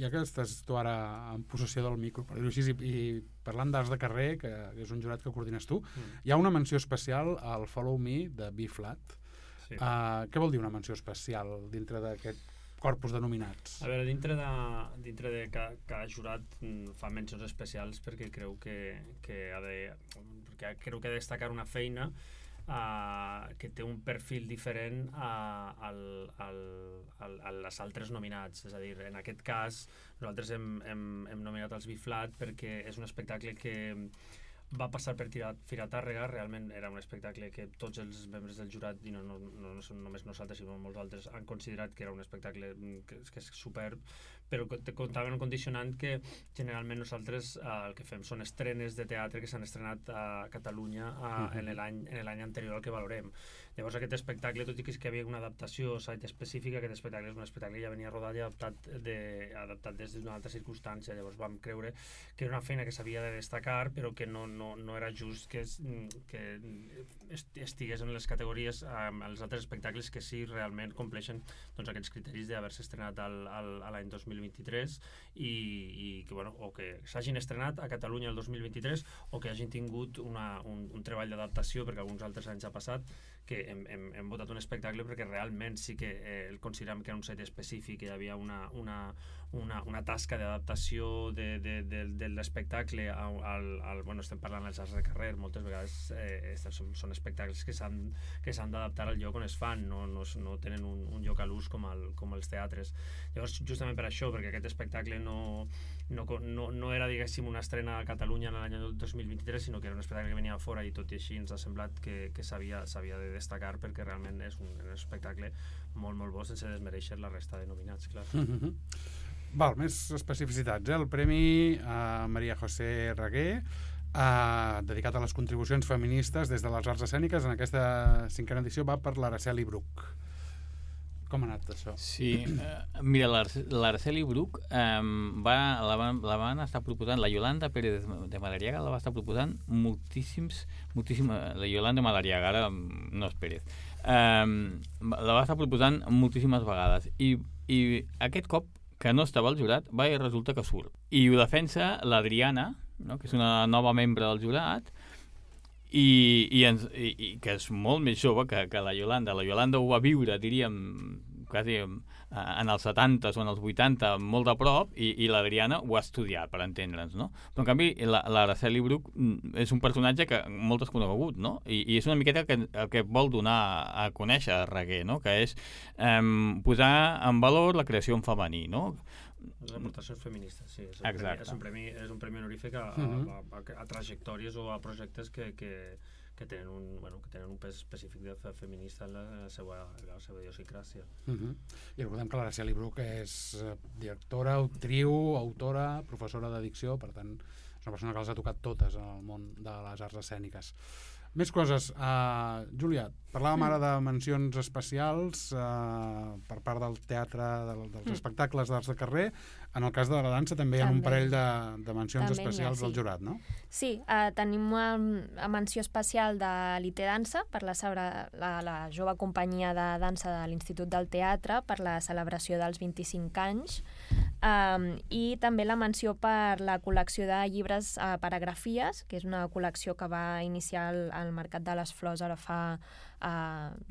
Ja que estàs tu ara en possessió del micro, per dir-ho així, i parlant d'Arts de Carrer, que és un jurat que coordines tu, hi ha una menció especial al Follow Me de B-Flat. Sí. Què vol dir una menció especial dintre d'aquest corpus de nominats? A veure, dintre de cada jurat fa mencions especials perquè creu que ha de destacar una feina que té un perfil diferent als altres nominats. És a dir, en aquest cas nosaltres hem nominat els B-Flat perquè és un espectacle que va passar per Fira Tàrrega. Realment era un espectacle que tots els membres del jurat, i no només nosaltres sinó molts altres, han considerat que era un espectacle que és superb, però comptava en un condicionant que generalment nosaltres el que fem són estrenes de teatre que s'han estrenat a Catalunya en l'any anterior al que valorem. Llavors aquest espectacle, tot i que hi havia una adaptació site específica, aquest espectacle és un espectacle que ja venia rodat i adaptat des d'una altra circumstància. Llavors vam creure que era una feina que s'havia de destacar, però que no era just que estigués en les categories amb els altres espectacles que sí realment compleixen aquests criteris d'haver-se estrenat l'any 2023 i que, o que s'hagin estrenat a Catalunya el 2023 o que hagin tingut un treball d'adaptació, perquè alguns altres anys ha passat que hem votat un espectacle perquè realment sí que el considerem que era un set específic, hi havia una tasca d'adaptació de l'espectacle bueno, estem parlant dels arts de carrer, moltes vegades són espectacles que s'han d'adaptar al lloc on es fan, no tenen un lloc a l'ús com els teatres. Llavors, justament per això, perquè aquest espectacle no era, diguéssim, una estrena a Catalunya en l'any 2023, sinó que era un espectacle que venia a fora, i tot i així ens ha semblat que s'havia de destacar, perquè realment és un espectacle molt, molt bo, sense desmereixer la resta de nominats, clar. Val, més especificitats. El Premi Maria José Reguer, dedicat a les contribucions feministes des de les arts escèniques. En aquesta 5a edició va per l'Araceli Bruch. Com ha anat això? Sí, mira, l'Araceli Bruch la van estar proposant, la Yolanda Pérez de Madariaga la va estar proposant la Yolanda Madariaga, ara no és Pérez, la va estar proposant moltíssimes vegades, i aquest cop que no estava al jurat, resulta que surt. I ho defensa l'Adriana, no?, que és una nova membre del jurat, i que és molt més jove que la Yolanda. La Yolanda ho va viure, diríem, quasi en els 70s o en els 80, molt de prop, i l'Adriana ho ha estudiat, per entendre'ns, no? Però, en canvi, l'Araceli Bruch és un personatge que molt desconegut, no? I és una miqueta el que vol donar a conèixer a Reguer, no?, que és posar en valor la creació en femení, no? Les aportacions feministes, sí. És un premi honorífic a trajectòries o a projectes que tenen un pes específic de feminista en la seva idiosincràsia. I recordem que l'Araceli Bruch és directora, actriu, autora, professora de dicció, per tant, és una persona que les ha tocat totes en el món de les arts escèniques. Més coses. Júlia, parlàvem ara de mencions especials per part del teatre, dels espectacles d'arts de carrer. En el cas de la dansa també hi ha un parell de mencions especials del jurat, no? Sí, tenim una menció especial de l'IT Dansa per la jove companyia de dansa de l'Institut del Teatre per la celebració dels 25 anys, i també la menció per la col·lecció de llibres Paragrafies, que és una col·lecció que va iniciar al Mercat de les Flors ara fa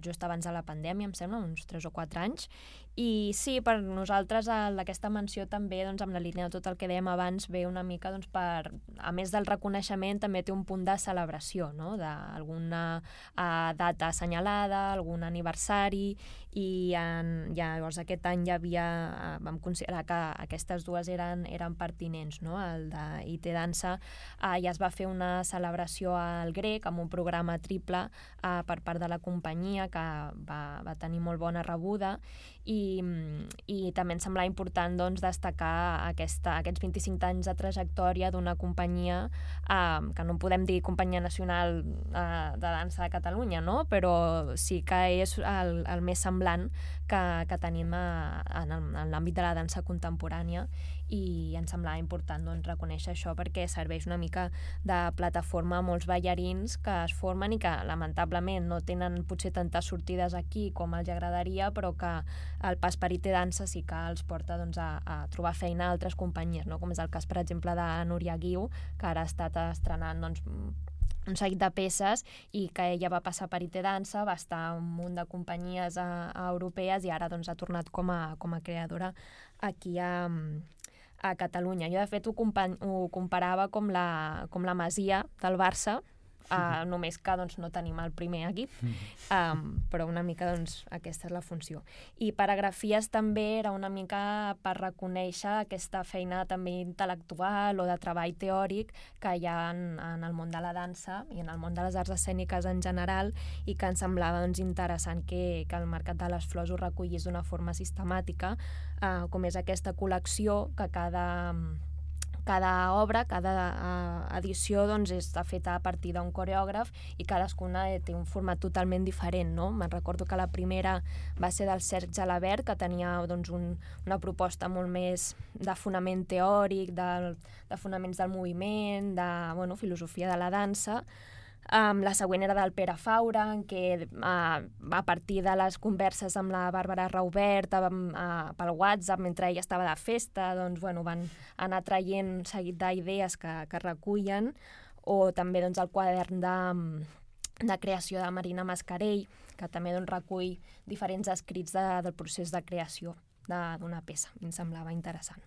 just abans de la pandèmia, em sembla, uns 3 o 4 anys. I sí, per nosaltres aquesta menció també, doncs, amb la línia de tot el que dèiem abans, ve una mica, doncs, a més del reconeixement, també té un punt de celebració, no?, d'alguna data assenyalada, algun aniversari, i llavors aquest any vam considerar que aquestes dues eren pertinents, no? El de IT Dansa ja es va fer una celebració al Grec amb un programa triple per part de la companyia que va tenir molt bona rebuda, i també ens semblava important, doncs, destacar aquests 25 anys de trajectòria d'una companyia que no podem dir companyia nacional de dansa de Catalunya, no?, però sí que és el més semblant que tenim en l'àmbit de la dansa contemporània, i ens semblava important, doncs, reconèixer això perquè serveix una mica de plataforma a molts ballarins que es formen i que lamentablement no tenen potser tantes sortides aquí com els agradaria, però que el pas per IT Dansa sí que els porta, doncs, a trobar feina a altres companyies, no?, com és el cas, per exemple, de Núria Guiu, que ara ha estat estrenant, doncs, un seguit de peces, i que ella va passar per IT Dansa, va estar un munt de companyies europees, i ara, doncs, ha tornat com a creadora aquí a Catalunya. Jo, de fet, ho comparava com la Masia del Barça, només que, doncs, no tenim el primer equip, però una mica, doncs, aquesta és la funció. I Paragrafies també era una mica per reconèixer aquesta feina també intel·lectual o de treball teòric que hi ha en el món de la dansa i en el món de les arts escèniques en general, i que ens semblava, doncs, interessant que el Mercat de les Flors ho recollís d'una forma sistemàtica, com és aquesta col·lecció que cada obra, cada edició, doncs, està feta a partir d'un coreògraf, i cadascuna té un format totalment diferent, no? Me'n recordo que la primera va ser del Serge Jalabert, que tenia, doncs, una proposta molt més de fonament teòric, de fonaments del moviment, de filosofia de la dansa. La següent era del Pere Faura, en què a partir de les converses amb la Bàrbara Raubert pel WhatsApp mentre ella estava de festa, doncs, van anar traient un seguit d'idees que recullen, o també, doncs, el quadern de creació de Marina Mascarell, que també recull diferents escrits del procés de creació d'una peça. Em semblava interessant.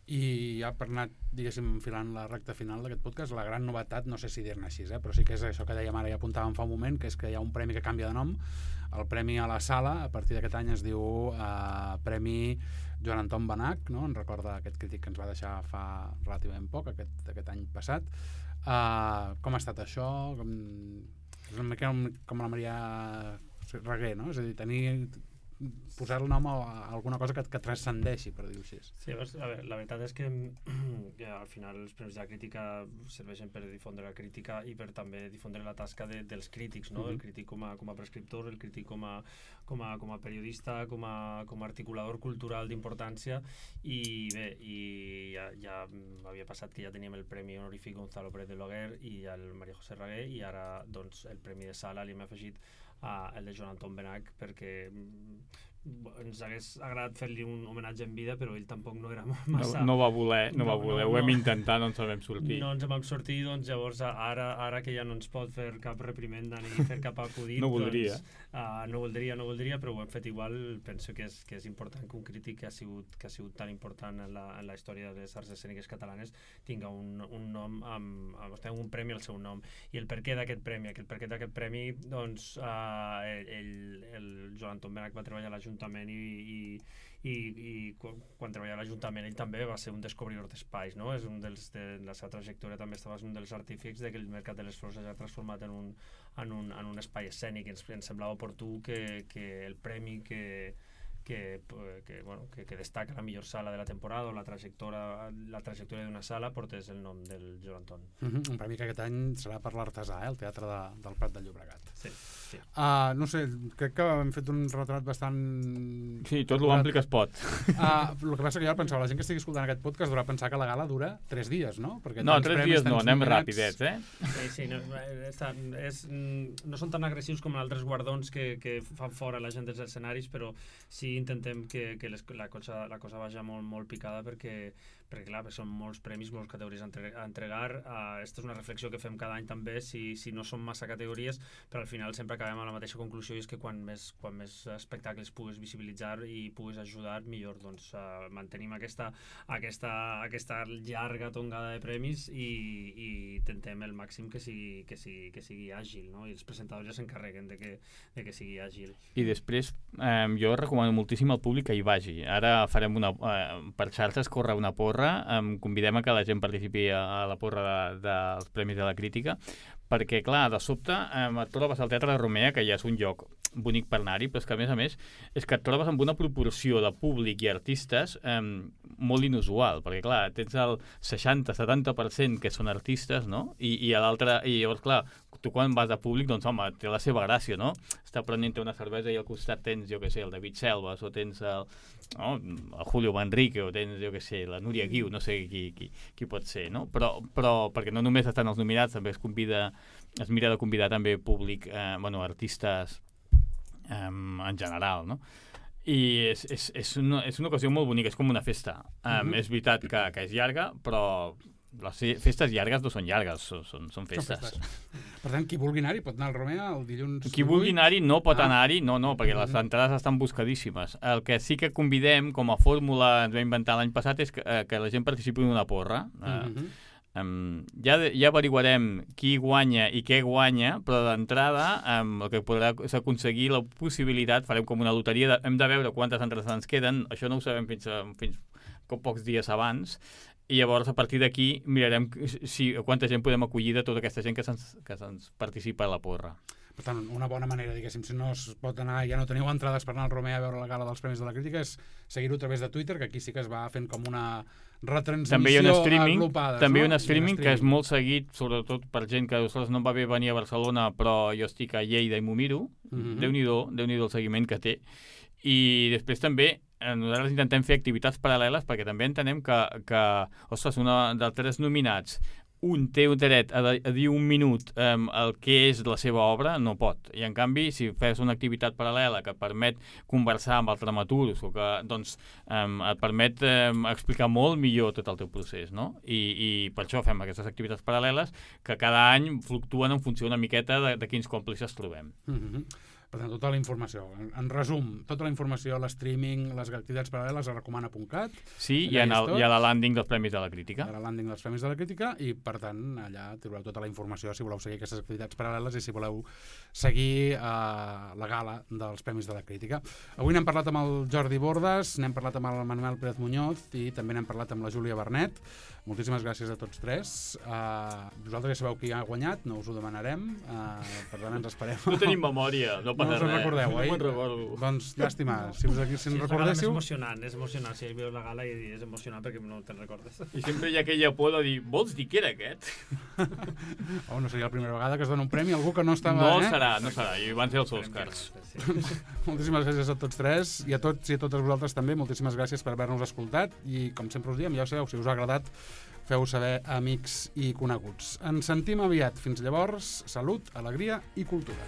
I ja per anar, diguéssim, enfilant la recta final d'aquest podcast, la gran novetat, no sé si dir-ne així, però sí que és això que dèiem ara i apuntàvem fa un moment, que és que hi ha un premi que canvia de nom. El premi a la Sala, a partir d'aquest any es diu Premi Joan Anton Benach, no? En recorda aquest crític que ens va deixar fa relativament poc, aquest any passat. Com ha estat això? És una mica com la Maria Reguer, no? És a dir, posar el nom a alguna cosa que transcendeixi, per dir-ho així. Sí, a veure, la veritat és que al final els premis de la crítica serveixen per difondre la crítica i per també difondre la tasca dels crítics, no? El crític com a prescriptor, el crític com a periodista, com a articulador cultural d'importància, i bé, ja havia passat que ja teníem el Premi Honorífic Gonzalo Pérez de Loguer i el María José Reguer, i ara doncs el Premi de Sala li hem afegit el de Joan Anton Benach, perquè ens hagués agradat fer-li un homenatge en vida, però ell tampoc no era massa... No va voler, ho hem intentat, no ens en vam sortir. No ens en vam sortir, doncs llavors ara que ja no ens pot fer cap reprimenda ni fer cap acudit, no voldria. No voldria, però ho hem fet igual. Penso que és important que un crític que ha sigut tan important en la història de les arts escèniques catalanes tinga un nom, un premi al seu nom. I el perquè d'aquest premi, doncs el Joan Anton Benach va treballar a l'Ajuntament i quan treballava a l'Ajuntament ell també va ser un descobridor d'espais, no? És de la seva trajectòria també estava un dels artífics de que el Mercat de les Flors s'ha transformat en un espai escènic. Ens semblava oportú que el premi que destaca la millor sala de la temporada o la trajectòria d'una sala portés el nom del Joan Anton. Un premi que aquest any serà per l'Artesà, el Teatre del Prat de Llobregat. Sí. No sé, crec que hem fet un retrat bastant... Sí, tot l'ampli que es pot. El que passa que jo pensava, la gent que estigui escoltant aquest podcast durà pensar que la gala dura 3 dies, no? Perquè no, 3 dies no, anem ràpidets, Sí, no són tan agressius com altres guardons que fan fora la gent dels escenaris, però sí intentem que la cosa vagi molt picada perquè clar, són molts premis, moltes categories a entregar. Aquesta és una reflexió que fem cada any també, si no són massa categories, però al final sempre acabem a la mateixa conclusió, i és que quan més espectacles puguis visibilitzar i puguis ajudar, millor. Doncs mantenim aquesta llarga tongada de premis i intentem el màxim que sigui àgil, no? I els presentadors ja s'encarreguen de que sigui àgil. I després jo recomano moltíssim al públic que hi vagi. Ara farem per xarxes córrer una porra, convidem a que la gent participi a la porra dels Premis de la Crítica, perquè, clar, de sobte et trobes al Teatre de Romea, que ja és un lloc bonic per anar-hi, però és que, a més, és que et trobes amb una proporció de públic i artistes molt inusual, perquè, clar, tens el 60-70% que són artistes, no? I llavors, clar, tu quan vas a públic, doncs, home, té la seva gràcia, no? Està prenent una cervesa i al costat tens, jo què sé, el David Selves, o tens el Julio Manrique, o tens, jo què sé, la Núria Guiu, no sé qui pot ser, no? Però perquè no només estan els nominats, també es mira de convidar també públic, artistes en general, no? I és una ocasió molt bonica, és com una festa. És veritat que és llarga, però les festes llargues no són llargues, són festes. Per tant, qui vulgui anar-hi pot anar al Romea el dilluns 18? Qui vulgui anar-hi no pot anar-hi, no, perquè les entrades estan buscadíssimes. El que sí que convidem, com a fórmula, ens va inventar l'any passat, és que la gent participi en una porra. Ja averiguarem qui guanya i què guanya, però d'entrada el que podrà és aconseguir la possibilitat, farem com una loteria, hem de veure quantes entrades ens queden, això no ho sabem fins pocs dies abans, i llavors a partir d'aquí mirarem quanta gent podem acollir de tota aquesta gent que se'ns participa a la porra. Per tant, una bona manera, diguéssim, si no es pot anar, ja no teniu entrades per anar al Romea a veure la gala dels Premis de la Crítica, és seguir-ho a través de Twitter, que aquí sí que es va fent com una retransmissió agrupada. També hi ha un streaming que és molt seguit, sobretot per gent que no va bé venir a Barcelona, però jo estic a Lleida i m'ho miro. Déu-n'hi-do el seguiment que té. I després també nosaltres intentem fer activitats paral·leles perquè també entenem que ostres, una dels 3 nominats un té un dret a dir un minut el que és la seva obra, no pot. I en canvi, si fes una activitat paral·lela que et permet conversar amb els dramaturgs o que doncs, et permet explicar molt millor tot el teu procés, no? I per això fem aquestes activitats paral·leles que cada any fluctuen en funció una miqueta de quins còmplices trobem. Per tant, tota la informació. En resum, tota la informació, l'streaming, les activitats paral·leles a recomana.cat. Sí, hi ha la landing dels Premis de la Crítica. Hi ha la landing dels Premis de la Crítica i, per tant, allà trobareu tota la informació si voleu seguir aquestes activitats paral·leles i si voleu seguir la gala dels Premis de la Crítica. Avui n'hem parlat amb el Jordi Bordes, n'hem parlat amb el Manuel Pérez Muñoz i també n'hem parlat amb la Júlia Bernet. Moltíssimes gràcies a tots tres. Vosaltres ja sabeu qui ha guanyat, no us ho demanarem, per tant ens esperem. No tenim memòria, no passa res. No us en recordeu, oi? No me'n recordo. Doncs llàstima, si en recordéssiu... És emocionant, si veus la gala i és emocionant perquè no te'n recordes. I sempre hi ha aquella por de dir, vols dir que era aquest? No seria la primera vegada que es dona un premi a algú que no estava... No serà, i van ser els Oscars. Moltíssimes gràcies a tots tres i a tots i a totes vosaltres també, moltíssimes gràcies per haver-nos escoltat i com sempre us diem, ja ho sabeu, si us ha agradat feu saber a amics i coneguts. Ens sentim aviat. Fins llavors, salut, alegria i cultura.